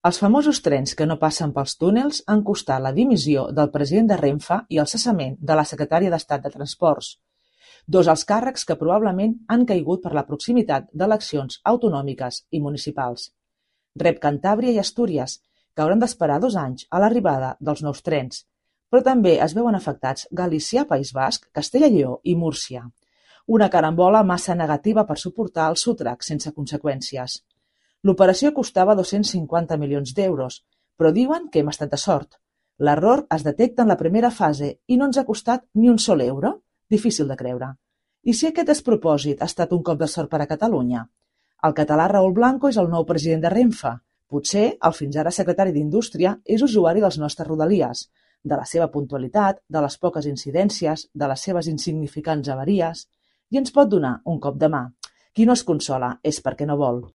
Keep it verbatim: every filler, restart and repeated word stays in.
Els famosos trens que no passen pels túnels han costat la dimissió del president de Renfe i el cessament de la secretària d'Estat de Transports, dos alts càrrecs que probablement han caigut per la proximitat d'eleccions autonòmiques i municipals. Rep Cantàbria i Astúries, que hauran d'esperar dos anys a l'arribada dels nous trens, però també es veuen afectats Galícia, País Basc, Castella i Lleó i Múrcia. Una carambola massa negativa per suportar el sotrac sense conseqüències. L'operació costava dos-cents cinquanta milions d'euros, però diuen que hem estat de sort. L'error es detecta en la primera fase i no ens ha costat ni un sol euro? Difícil de creure. I si aquest despropòsit ha estat un cop de sort per a Catalunya? El català Raül Blanco és el nou president de Renfe. Potser el fins ara secretari d'Indústria és usuari dels nostres rodalies, de la seva puntualitat, de les poques incidències, de les seves insignificants avaries, i ens pot donar un cop de mà. Qui no es consola és perquè no vol.